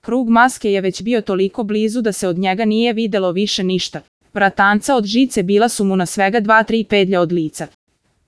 Krug maske je već bio toliko blizu da se od njega nije videlo više ništa. Vratanca od žice bila su mu na svega 2-3 pedlja od lica.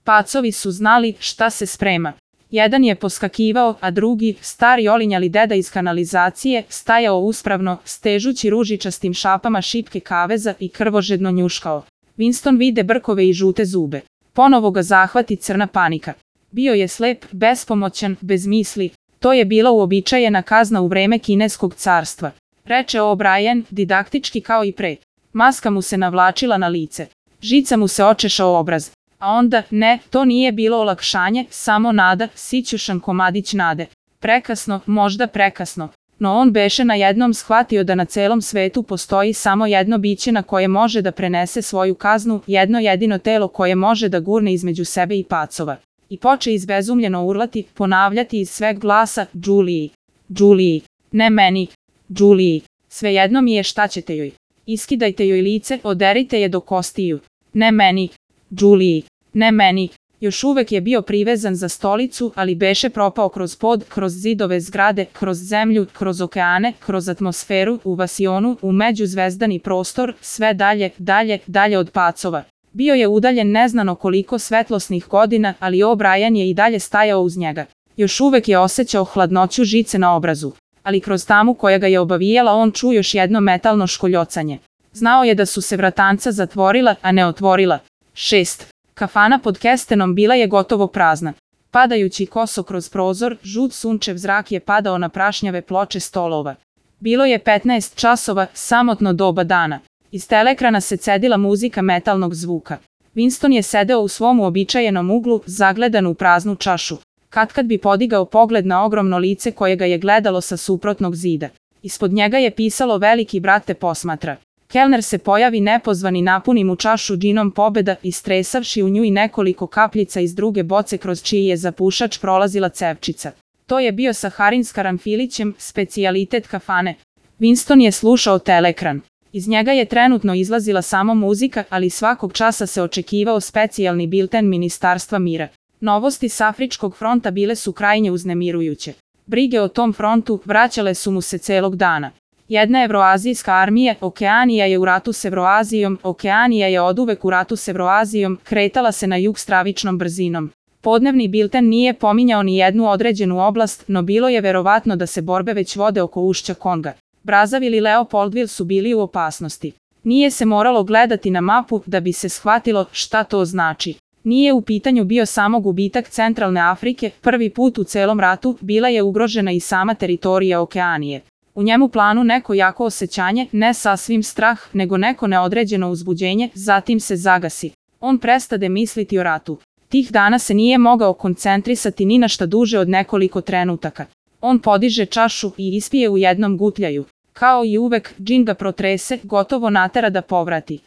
Pacovi su znali šta se sprema. Jedan je poskakivao, a drugi, stari olinjali deda iz kanalizacije, stajao uspravno, stežući ružičastim šapama šipke kaveza i krvožedno njuškao. Winston vide brkove i žute zube. Ponovo ga zahvati crna panika. Bio je slep, bespomoćan, bez misli. To je bila uobičajena kazna u vreme kineskog carstva. Reče O'Brien, didaktički kao i pre. Maska mu se navlačila na lice. Žica mu se očešao obraz. A onda, ne, to nije bilo olakšanje, samo nada, sićušan komadić nade. Prekasno, možda prekasno. No on beše na jednom shvatio da na celom svetu postoji samo jedno biće na koje može da prenese svoju kaznu, jedno jedino telo koje može da gurne između sebe i pacova. I poče izbezumljeno urlati, ponavljati iz sveg glasa, Julie, Julie, ne meni, Julie, svejedno mi je šta ćete joj. Iskidajte joj lice, oderite je do kostiju. Ne meni, Julie, ne meni. Još uvek je bio privezan za stolicu, ali beše propao kroz pod, kroz zidove zgrade, kroz zemlju, kroz okeane, kroz atmosferu, u vasionu, u međuzvezdani prostor, sve dalje, dalje, dalje od pacova. Bio je udaljen neznano koliko svetlosnih godina, ali O'Brien je i dalje stajao uz njega. Još uvek je osjećao hladnoću žice na obrazu. Ali kroz tamu koja ga je obavijala on čuo još jedno metalno školjocanje. Znao je da su se vratanca zatvorila, a ne otvorila. 6. Kafana pod kestenom bila je gotovo prazna. Padajući koso kroz prozor, žut sunčev zrak je padao na prašnjave ploče stolova. Bilo je 15 časova, samotno doba dana. Iz teleekrana se cedila muzika metalnog zvuka. Winston je sedeo u svom uobičajenom uglu, zagledan u praznu čašu. Katkad bi podigao pogled na ogromno lice koje ga je gledalo sa suprotnog zida. Ispod njega je pisalo veliki brat te posmatra. Kelner se pojavi nepozvani, napuni mu čašu džinom pobeda, istresavši u nju i nekoliko kapljica iz druge boce kroz čiji je zapušač prolazila cevčica. To je bio saharin s karanfilićem, specijalitet kafane. Winston je slušao teleekran. Iz njega je trenutno izlazila samo muzika, ali svakog časa se očekivao specijalni bilten Ministarstva mira. Novosti s Afričkog fronta bile su krajnje uznemirujuće. Brige o tom frontu vraćale su mu se celog dana. Jedna evroazijska armija, Okeanija je u ratu s Evroazijom, Okeanija je oduvek u ratu s Evroazijom, kretala se na jug stravičnom brzinom. Podnevni bilten nije pominjao ni jednu određenu oblast, no bilo je verovatno da se borbe već vode oko ušća Konga. Brazzaville i Leopoldville su bili u opasnosti. Nije se moralo gledati na mapu da bi se shvatilo šta to znači. Nije u pitanju bio samo gubitak centralne Afrike, prvi put u celom ratu bila je ugrožena i sama teritorija Okeanije. U njemu planu neko jako osjećanje, ne sasvim strah, nego neko neodređeno uzbuđenje, zatim se zagasi. On prestade misliti o ratu. Tih dana se nije mogao koncentrisati ni na šta duže od nekoliko trenutaka. On podiže čašu i ispije u jednom gutljaju. Kao i uvek, džin ga protrese, gotovo natera da povrati.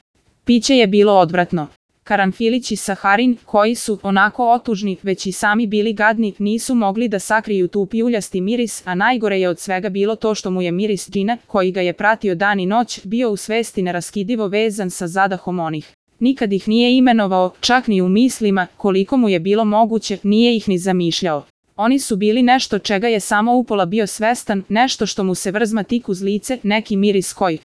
Piće je bilo odvratno. Karanfilić i saharin, koji su, onako otužni, već i sami bili gadni, nisu mogli da sakriju tu pijuljasti miris, a najgore je od svega bilo to što mu je miris džina, koji ga je pratio dan i noć, bio u svesti neraskidivo vezan sa zadahom onih. Nikad ih nije imenovao, čak ni u mislima, koliko mu je bilo moguće, nije ih ni zamišljao. Oni su bili nešto čega je samo upola bio svestan, nešto što mu se vrzma tik uz lice, neki miris koji